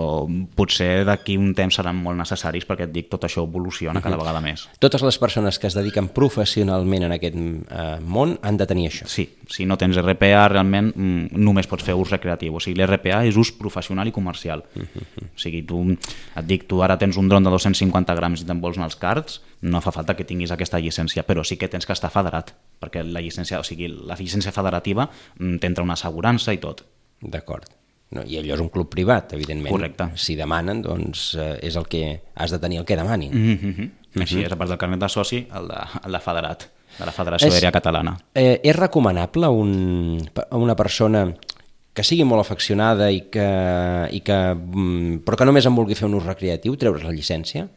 potser d'aquí un temps seran molt necessaris perquè et dic, tot això evoluciona cada vegada més. Totes les persones que es dediquen professionalment en aquest eh, món han de tenir això. Sí, si no tens R P A realment només pots fer ús recreatiu, o sigui, l'R P A és ús professional i comercial. Uh-huh. O sigui, tu, et dic, tu ara tens un dron de dos-cents cinquanta grams i te'n vols anar als carts, no fa falta que tinguis aquesta llicència, però sí que tens que estar federat, perquè la llicència, o sigui, la llicència federativa t'entra una assegurança i tot. D'acord. No, i allò és un club privat, evidentment. Correcte. Si demanen, doncs eh, és el que has de tenir el que demanin. Mm-hmm. Mm-hmm. Així és, a part del carnet de soci, el de, el de federat, de la Federació Aèria Catalana. Eh, és recomanable un, a una persona que sigui molt afeccionada i que, i que, però que només en vulgui fer un ús recreatiu, treure's la llicència?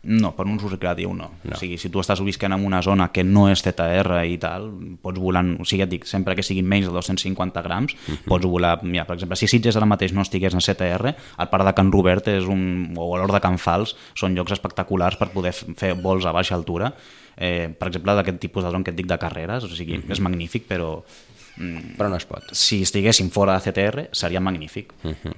No, per un ús recreatiu no. no. O sigui, si tu estàs visquent en una zona que no és Z R i tal, pots volar, o sigui, et dic, sempre que siguin menys de dos-cents cinquanta grams, uh-huh. pots volar, mira, per exemple, si Sitges ara mateix no estigués en Z R, el Parc de Can Robert és un, o l'Hort de Can Fals són llocs espectaculars per poder fer vols a baixa altura, eh, per exemple, d'aquest tipus de dron que et dic de carreres, o sigui, uh-huh. és magnífic, però Però no es pot. Si estiguessin fora de C T R seria magnífic. Uh-huh.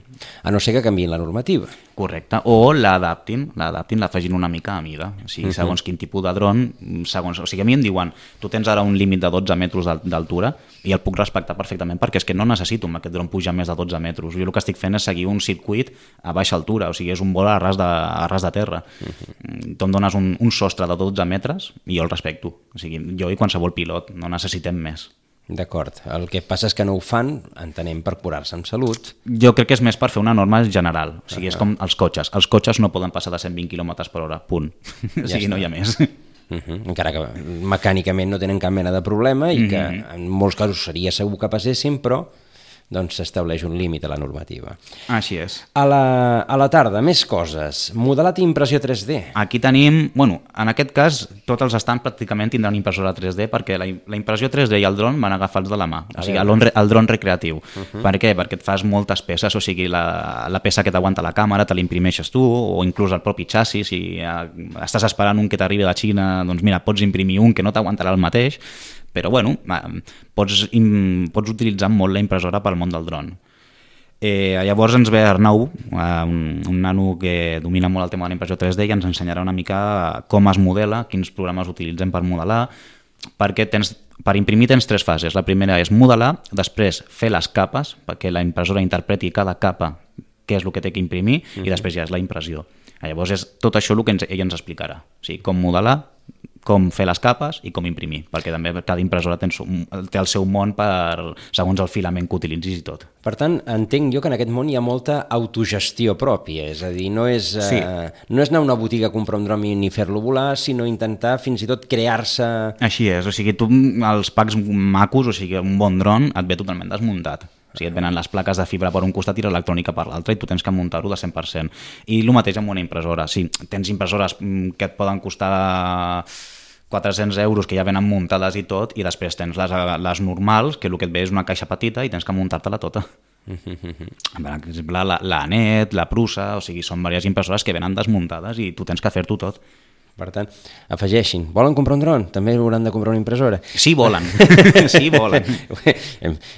A no ser que canviïn la normativa. Correcte, o l'adaptin, l'adaptin, l'afegin una mica a mida. O sigui, segons quin tipus de dron, segons... O sigui, a mi em diuen, tu tens ara un límit de dotze metres d'altura i el puc respectar perfectament perquè és que no necessito amb aquest dron pujar més de dotze metres. Jo el que estic fent és seguir un circuit a baixa altura, o sigui, és un vol a ras de, a ras de terra. Uh-huh. Tu em dones un, un sostre de dotze metres i jo el respecto. O sigui, jo i qualsevol pilot, no necessitem més. D'acord. El que passa és que no ho fan, entenem, per curar-se en salut. Jo crec que és més per fer una norma general. O sigui, uh-huh. és com els cotxes. Els cotxes no poden passar de cent vint quilòmetres per hora, punt. Ja o sigui, està. No hi ha més. Uh-huh. Encara que mecànicament no tenen cap mena de problema i uh-huh. que en molts casos seria segur que passessin, però doncs s'estableix un límit a la normativa. Així és. A la, a la tarda, més coses. Modelat i impressió tres D. Aquí tenim, bueno, en aquest cas, tots els estants pràcticament tindran impressora tres D perquè la, la impressió tres D i el dron van agafats de la mà, o sigui, el, el dron recreatiu. Uh-huh. Per què? Perquè et fas moltes peces, o sigui, la, la peça que t'aguanta la càmera te l'imprimeixes tu, o inclús el propi xassis, si estàs esperant un que t'arribi de la Xina, doncs mira, pots imprimir un que no t'aguantarà el mateix, però bueno, pots, pots utilitzar molt la impressora pel món del dron. Eh, llavors ens ve Arnau, un, un nano que domina molt el tema de la impressió tres D i ens ensenyarà una mica com es modela, quins programes utilitzem per modelar, perquè tens, per imprimir tens tres fases. La primera és modelar, després fer les capes, perquè la impressora interpreti cada capa què és el que té que imprimir, mm-hmm. i després ja és la impressió. Llavors és tot això el que ens, ell ens explicarà, o sigui, com modelar, com fer les capes i com imprimir, perquè també cada impressora té el seu món per, segons el filament que utilitzis i tot. Per tant, entenc jo que en aquest món hi ha molta autogestió pròpia, és a dir, no és, sí. eh, no és anar a una botiga a comprar un dron ni fer-lo volar, sinó intentar fins i tot crear-se... Així és, o sigui, tu els packs macos, o sigui, un bon dron et ve totalment desmuntat. O sigui, et venen les plaques de fibra per un costat i l'electrònica per l'altre i tu tens que muntar-ho de cent per cent. I el mateix amb una impressora. Sí, tens impressores que et poden costar quatre-cents euros que ja venen muntades i tot, i després tens les, les normals, que el que et ve és una caixa petita i tens que muntar-te-la tota. Per exemple, la, la Anet, la Prusa, o sigui, són diverses impressores que venen desmuntades i tu tens que fer-t'ho tot. Per tant, afegeixin. Volen comprar un dron? També hauran de comprar una impressora? Sí, volen. Sí, volen.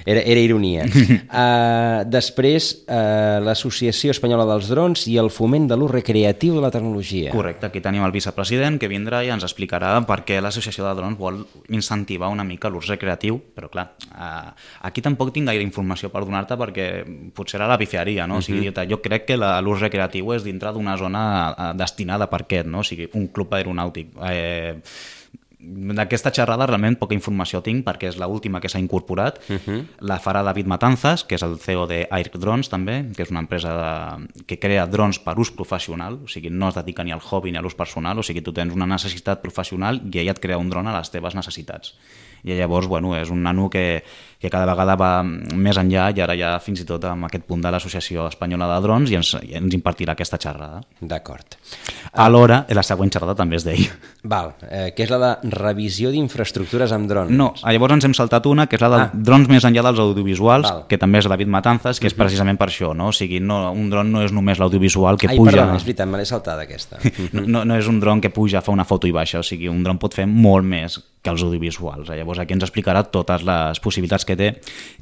Era, era ironia. Uh, després, uh, l'Associació Espanyola dels Drons i el foment de l'ús recreatiu de la tecnologia. Correcte. Aquí tenim el vicepresident que vindrà i ens explicarà per què l'Associació de Drons vol incentivar una mica l'ús recreatiu, però clar, uh, aquí tampoc tinc gaire informació per donar-te perquè potser era la bifiaria, no? O sigui, uh-huh. jo crec que l'ús recreatiu és dintre d'una zona destinada per aquest, no? O sigui, un club aeronàutic. Eh, d'aquesta xerrada realment poca informació tinc perquè és l'última que s'ha incorporat. Uh-huh. La farà David Matanzas, que és el C E O de Air Drones també, que és una empresa de, que crea drons per ús professional, o sigui, no es dedica ni al hobby ni a l'ús personal, o sigui, tu tens una necessitat professional i ella et crea un dron a les teves necessitats. I llavors, bueno, és un nano que, que cada vegada va més enllà i ara ja fins i tot amb aquest punt de l'Associació Espanyola de Drons i ens, i ens impartirà aquesta xerrada. D'acord. Alhora, la següent xerrada també és d'ell. Val, eh, que és la de revisió d'infraestructures amb drons. No, llavors ens hem saltat una, que és la de ah. drons més enllà dels audiovisuals, Val. Que també és David Matanzas, que és uh-huh. precisament per això, no? O sigui, no, un dron no és només l'audiovisual que Ai, puja... Ai, perdona, és veritat, me l'he saltada aquesta. no, no, no és un dron que puja, fa una foto i baixa, o sigui, un dron pot fer molt més que els audiovisuals. Llavors aquí ens explicarà totes les possibilitats que té,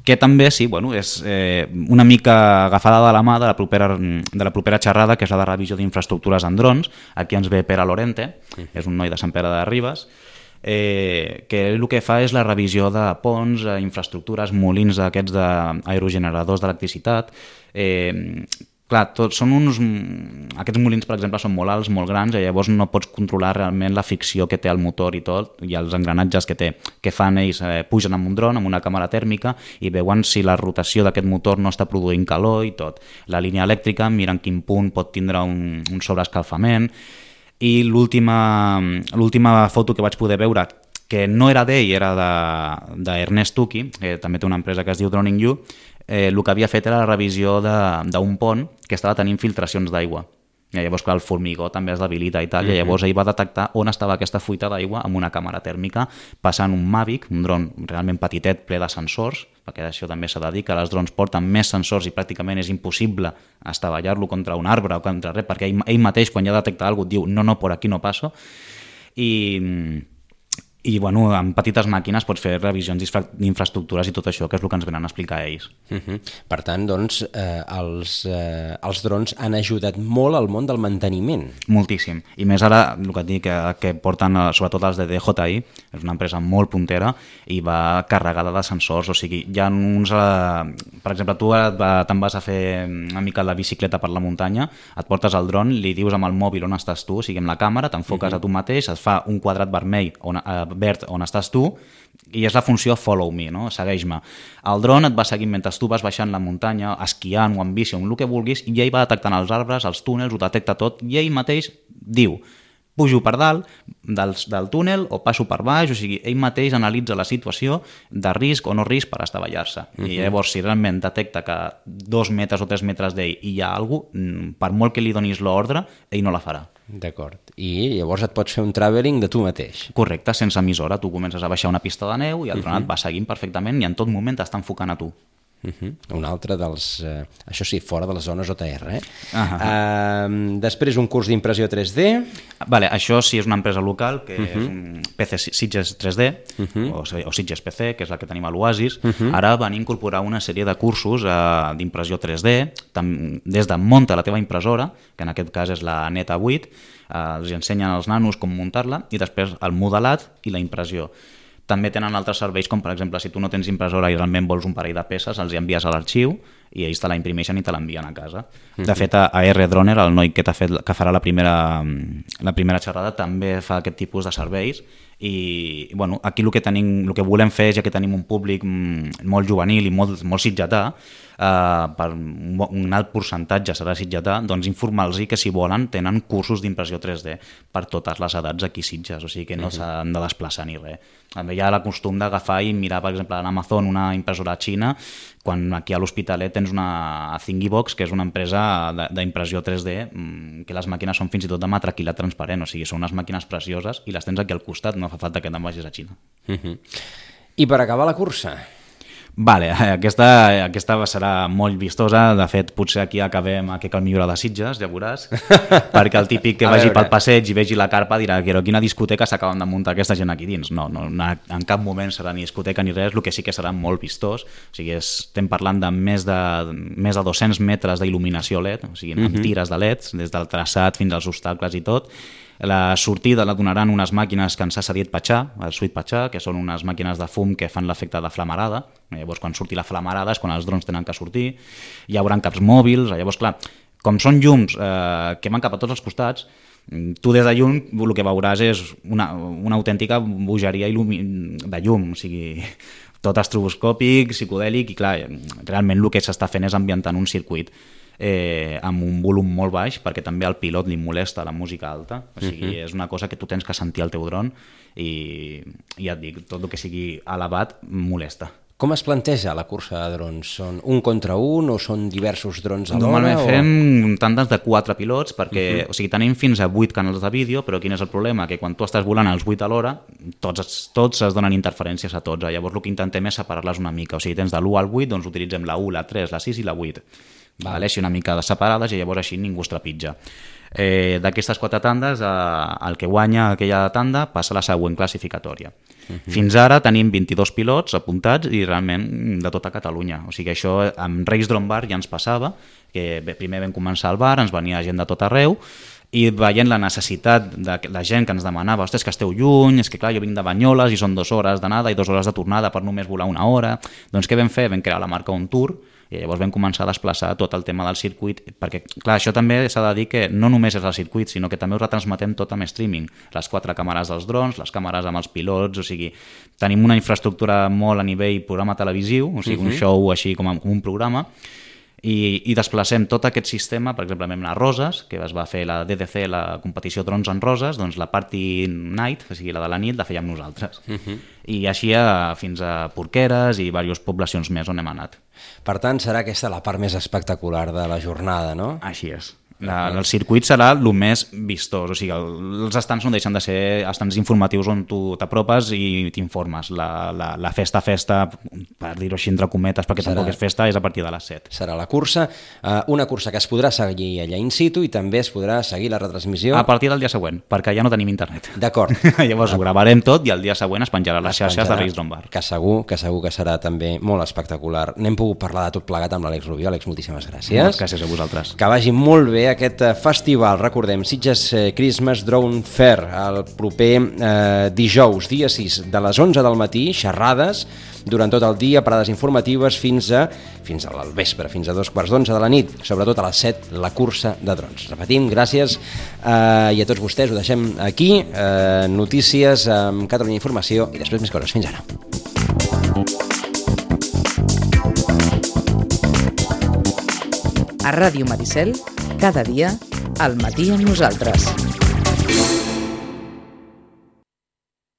que també, sí, bueno, és eh, una mica agafada de la mà de la, propera, de la propera xerrada, que és la de revisió d'infraestructures en drons. Aquí ens ve Pere Lorente, és un noi de Sant Pere de Ribes, eh, que el que fa és la revisió de ponts, infraestructures, molins d'aquests d'aerogeneradors d'electricitat. Eh, Clar, tot, són uns... Aquests molins, per exemple, són molt alts, molt grans, i llavors no pots controlar realment la fricció que té el motor i tot, i els engranatges que té, que fan ells, eh, pugen amb un dron, amb una càmera tèrmica, i veuen si la rotació d'aquest motor no està produint calor i tot. La línia elèctrica, miren quin punt pot tindre un, un sobreescalfament, i l'última l'última foto que vaig poder veure, que no era d'ell, era d'Ernest Tuki, que també té una empresa que es diu Droning You, eh, el que havia fet era la revisió d'un pont que estava tenint filtracions d'aigua. I llavors, clar, el formigó també es debilita i tal, mm-hmm. i llavors ell va detectar on estava aquesta fuita d'aigua amb una càmera tèrmica, passant un Mavic, un dron realment petitet, ple de sensors, perquè això també s'ha de dir, que els drons porten més sensors i pràcticament és impossible estavellar-lo contra un arbre o contra res, perquè ell, ell mateix, quan ja detecta alguna cosa, et diu no, no, per aquí no passo. I... i bueno, amb petites màquines pots fer revisions d'infraestructures i tot això, que és el que ens venen a explicar ells. Uh-huh. Per tant, doncs, eh, els, eh, els drons han ajudat molt al món del manteniment. Moltíssim. I més ara, el que et dic, que, que porten, sobretot els de D J I, és una empresa molt puntera i va carregada de sensors, o sigui, hi ha uns... Eh, per exemple, tu te'n vas a fer una mica la bicicleta per la muntanya, et portes el dron, li dius amb el mòbil on estàs tu, o sigui, amb la càmera, t'enfoques uh-huh. a tu mateix, et fa un quadrat vermell on, eh, verd on estàs tu i és la funció follow me, no? Segueix-me. El dron et va seguint mentre tu vas baixant la muntanya, esquiant o en bici o en el que vulguis, i ell va detectant els arbres, els túnels, ho detecta tot i ell mateix diu pujo per dalt del, del túnel o passo per baix, o sigui, ell mateix analitza la situació de risc o no risc per estavellar-se. Uh-huh. I llavors, si realment detecta que dos metres o tres metres d'ell i hi ha alguna cosa, per molt que li donis l'ordre, ell no la farà. D'acord. I llavors et pots fer un travelling de tu mateix. Correcte, sense emissora. Tu comences a baixar una pista de neu i el dron uh-huh. et va seguint perfectament i en tot moment t'està enfocant a tu. Uh-huh. Un altre dels... Eh, això sí, fora de les zones O T R, eh? Uh-huh. Uh, després un curs d'impressió tres D. Vale, això sí és una empresa local, que uh-huh. és un P C Sitges tres D, uh-huh. o, o Sitges P C, que és la que tenim a l'Oasis. Uh-huh. Ara van incorporar una sèrie de cursos uh, d'impressió tres D, tam, des de munta la teva impressora, que en aquest cas és la Neta vuit, uh, els ensenyen als nanos com muntar-la, i després el modelat i la impressió. També tenen altres serveis, com per exemple, si tu no tens impressora i realment vols un parell de peces, els hi envies a l'arxiu i ells te la imprimeixen i te l'envien a casa. Uh-huh. De fet, a R Droner, el noi que, t'ha fet, que farà la primera, la primera xerrada, també fa aquest tipus de serveis. I bueno, aquí el que, tenim, el que volem fer, ja que tenim un públic molt juvenil i molt, molt sitgetà, eh, per un alt percentatge serà sitgetà, doncs informar-los que si volen tenen cursos d'impressió tres D per totes les edats aquí a Sitges, o sigui que no uh-huh. s'han de desplaçar ni res. També hi ha la costum d'agafar i mirar, per exemple, en Amazon una impressora xina, quan aquí a l'Hospitalet tens una Thingibox, que és una empresa d'impressió tres D, que les màquines són fins i tot de matraquilat transparent, o sigui, són unes màquines precioses i les tens aquí al costat, no fa falta que te'n vagis a Xina. Uh-huh. I per acabar la cursa? Vale, aquesta, aquesta serà molt vistosa, de fet potser aquí acabem a que cal millorar de Sitges, ja veuràs, perquè el típic que vagi pel passeig i vegi la carpa dirà que quina discoteca s'acaben de muntar aquesta gent aquí dins. No, no, en cap moment serà ni discoteca ni res, el que sí que serà molt vistós, o sigui, estem parlant de més de, més de dos-cents metres d'il·luminació L E D, o sigui, amb uh-huh. tires de L E Ds, des del traçat fins als obstacles i tot. La sortida la donaran unes màquines que ens ha cedit Patxà, el Suite Patxà, que són unes màquines de fum que fan l'efecte de flamarada. Llavors, quan surti la flamarada és quan els drons tenen que sortir. Hi haurà caps mòbils. Llavors, clar, com són llums eh, que van cap a tots els costats, tu des de llum el que veuràs és una, una autèntica bogeria de llum, o sigui, tot estroboscòpic, psicodèlic, i clar, realment el que s'està fent és ambientant un circuit Eh, amb un volum molt baix, perquè també al pilot li molesta la música alta, o sigui, uh-huh. és una cosa que tu tens que sentir al teu dron i, i ja et dic, tot el que sigui elevat molesta. Com es planteja la cursa de drons? Són un contra un o són diversos drons alhora? Normalment o... fem tandes de quatre pilots, perquè uh-huh. o sigui, tenim fins a vuit canals de vídeo, però quin és el problema? Que quan tu estàs volant els vuit alhora, tots, tots es donen interferències a tots. Llavors el que intentem és separar-les una mica. O sigui, tens de l'u al vuit, doncs utilitzem la u, la tres, la sis i la vuit. Vale, així una mica de separades i llavors així ningú es trepitja. Eh, d'aquestes quatre tandes, eh, el que guanya aquella tanda passa a la següent classificatòria. Uh-huh. Fins ara tenim vint-i-dos pilots apuntats i realment de tota Catalunya. O sigui, això amb Reis Drone Bar ja ens passava, que bé, primer vam començar al bar, ens venia gent de tot arreu, i veient la necessitat de la gent que ens demanava, ostres, que esteu lluny, és que clar, jo vinc de Banyoles i són dues hores d'anada i dues hores de tornada per només volar una hora. Doncs què vam fer? Vam crear la marca On Tour i llavors vam començar a desplaçar tot el tema del circuit, perquè clar, això també s'ha de dir que no només és el circuit, sinó que també ho retransmetem tot amb streaming, les quatre càmeres dels drons, les càmeres amb els pilots, o sigui, tenim una infraestructura molt a nivell programa televisiu, o sigui, uh-huh. un show així com un programa, i, i desplacem tot aquest sistema, per exemple, amb la Roses, que es va fer la D D C, la competició drons en Roses, doncs la party night, o sigui, la de la nit, la fèiem nosaltres. Uh-huh. I així a, fins a Porqueres i diverses poblacions més on hem anat. Per tant, serà aquesta la part més espectacular de la jornada, no? Així és. La, el circuit serà el més vistós, o sigui, el, els estants no deixen de ser estants informatius on tu t'apropes i t'informes. La, la, la festa, festa, per dir-ho així entre cometes, perquè serà, tampoc és festa, és a partir de les set. Serà la cursa, eh, una cursa que es podrà seguir allà in situ i també es podrà seguir la retransmissió... A partir del dia següent, perquè ja no tenim internet. D'acord. Llavors ho gravarem tot i el dia següent es penjarà a les xarxes de Race Drone Bar. Que segur, que segur que serà també molt espectacular. N'hem pogut parlar de tot plegat amb l'Àlex Rubió. Àlex, moltíssimes gràcies. Moltes gràcies a vosaltres. Que vagi molt bé aquest festival, recordem, Sitges Christmas Drone Fair, el proper eh, dijous, dia sis, de les onze del matí, xerrades durant tot el dia, parades informatives fins a fins al vespre, fins a dos quarts d'onze de la nit, sobretot a les set, la cursa de drons. Repetim, gràcies eh, i a tots vostès ho deixem aquí, eh, notícies amb Catalunya Informació i després més coses. Fins ara. A Ràdio Maricel, cada dia, al matí amb nosaltres.